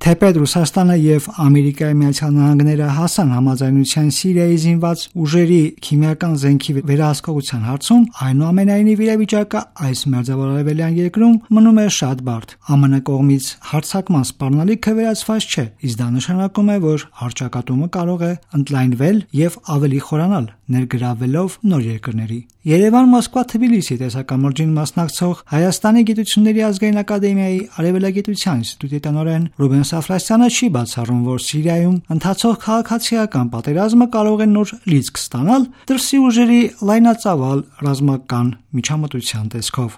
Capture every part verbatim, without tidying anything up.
Թեպետ Ռուսաստանը եւ Ամերիկայի Միացյալ Նահանգները հասան համաձայնության Սիրիայի զինված ուժերի քիմիական զենքի վերահսկողության հարցում, այնուամենայնիվ իրավիճակը այս մերձավոր արևելյան երկրում մնում է շատ բարդ։ ԱՄՆ կողմից հարձակման սպառնալիքը վերացված չէ, իսկ դա նշանակում է, որ հռչակատումը կարող է ընդլայնվել եւ ավելի խորանալ, ներգրավվելով նոր երկրների։ Երևան-Մոսկվա-Թբիլիսի տեսակամրջին մասնակցող Հայաստանի գիտությունների ազգային ակադեմիայի արևելագիտության ինստիտուտի տնօրեն Ռուբեն Սաֆրասյանը չի բացառում, որ Սիրիայում ընթացող քաղաքացիական պատերազմը կարող է նոր լիցք ստանալ դրսի ուժերի լայնածավալ ռազմական միջամտության տեսքով։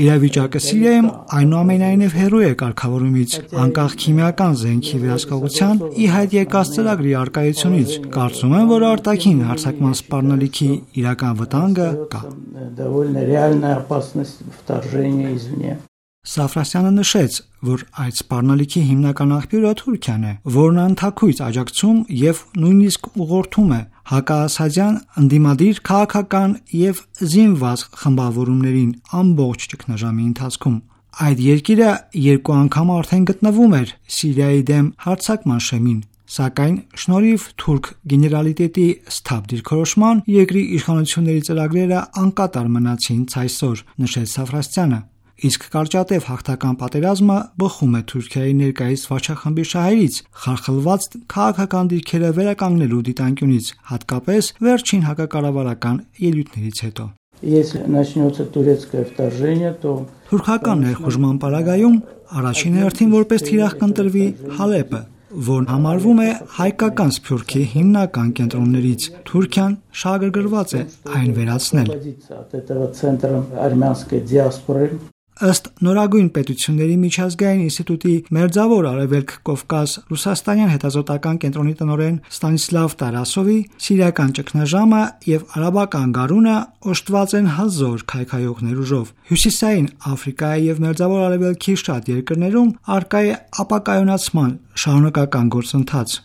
Իրավիճակը Սիրիայում այնուամենայնիվ հեռու է կարգավորումից, անկախ քիմիական զենքի վերահսկողության ի հայտ եկած ծրագրի առկայությունից։ Կարծում եմ, որ արտաքին հարձակման սպառնալիքի իրական վտանգը կա։ Սաֆրասյանը նշեց, որ այդ սպառնալիքի հիմնական աղբյուրը Թուրքիան է, որն անթաքույց աջակցում եւ նույնիսկ ուղղորդում է հակաասադյան ընդդիմադիր քաղաքական եւ զինված խմբավորումներին ամբողջ ճգնաժամի ընթացքում։ Այդ երկիրը երկու անգամ արդեն գտնվում էր Սիրիայի դեմ հարձակման շեմին, սակայն շնորհիվ թուրք գեներալիտետի սթափ դիրքորոշման երկրի իշխանությունների ծրագրերը անկատար մնացին ցայսօր, նշեց Սաֆրասյանը։ Իսկ կարճատև հաղթական պատերազմը բխում է Թուրքիայի ներկայիս վարչախմբի շահերից, խարխլված քաղաքական դիրքերը վերականգնելու դիտանկյունից, հատկապես վերջին հակակառավարական ելույթներից հետո։ Թուրքական ներխուժման պարագայում առաջին հերթին որպես թիրախ կընտրվի Հալեպը, որն համարվում է հայկական սփյուռքի հիմնական կենտրոններից։ Թուրքիան շահագրգռված է այն վերացնել։ Ըստ Նորագույն պետությունների միջազգային ինստիտուտի Մերձավոր Արևելք Կովկաս Ռուսաստանյան հետազոտական կենտրոնի տնօրեն Ստանիսլավ Տարասովի, սիրիական ճգնաժամը եւ արաբական գարունը օժտված են հզոր քայքայողներ ուժով։ Հյուսիսային Աֆրիկայի եւ Մերձավոր Արևելքի շատ երկրներում առկա է ապակայունացման շարունակական գործընթաց։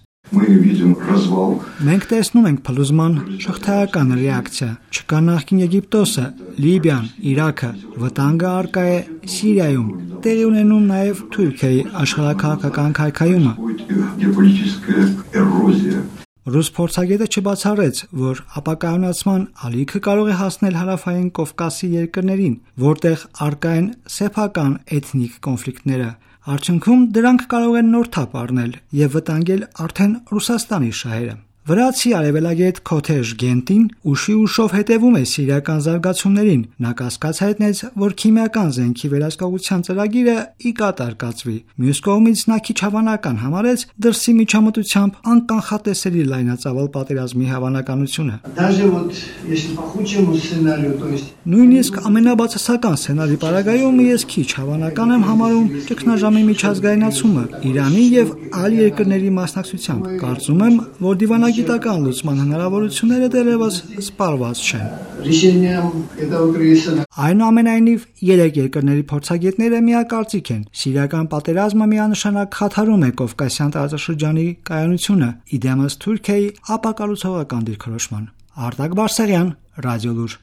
Մենք տեսնում ենք փլուզման շղթայական ռեակցիա։ Չկա նախկին Եգիպտոսը, Լիբիան, Իրաքը, վտանգը առկա է Սիրիայում, տեղի ունենում նաև Թուրքիայի աշխարհաքաղաքական քայքայումը։ Ռուս փորձագետը չբացառեց, որ ապակայունացման ալիքը կարող է հասնել հարավային Կովկասի երկրներին, որտեղ առկա են սեփական էթնիկ կոնֆլիկտները։ Արդյունքում դրանք կարող են նոր թափ առնել եւ վտանգել արդեն Ռուսաստանի շահերը։ Վրացի արևելագետ Քոթեժ Գենտին ուշի ուշով հետևում է սիրիական զարգացումներին։ Նա կասկած հայտնեց, որ քիմիական զենքի վերահսկողության ծրագիրը ի կատար կացվի։ Մյուս կողմից նա քիչ հավանական համարեց դրսի միջամտությամբ անկանխատեսելի լայնածավալ պատերազմի հավանականությունը։ Նույնիսկ ամենաբացասական սցենարի պարագայում ես քիչ հավանական եմ համարում ճգնաժամի միջազգայնացումը Իրանի եւ այլ երկրների մասնակցությամբ։ Կարծում եմ, որ դիվանագիտական լուծման հնարավորությունները դեռևս սպառված չեն։ Այնուամենայնիվ, երեք երկրների փորձագետները միակարծիք են։ Սիրիական պատերազմը միանշանակ խաթարում է Կովկասյան տարածաշրջանի կայունությունը, ի դեմս Թուրքիայի ապակառուցողական դիրքորոշման։ Արտակ Բարսեղյան, Ռադիոլուր։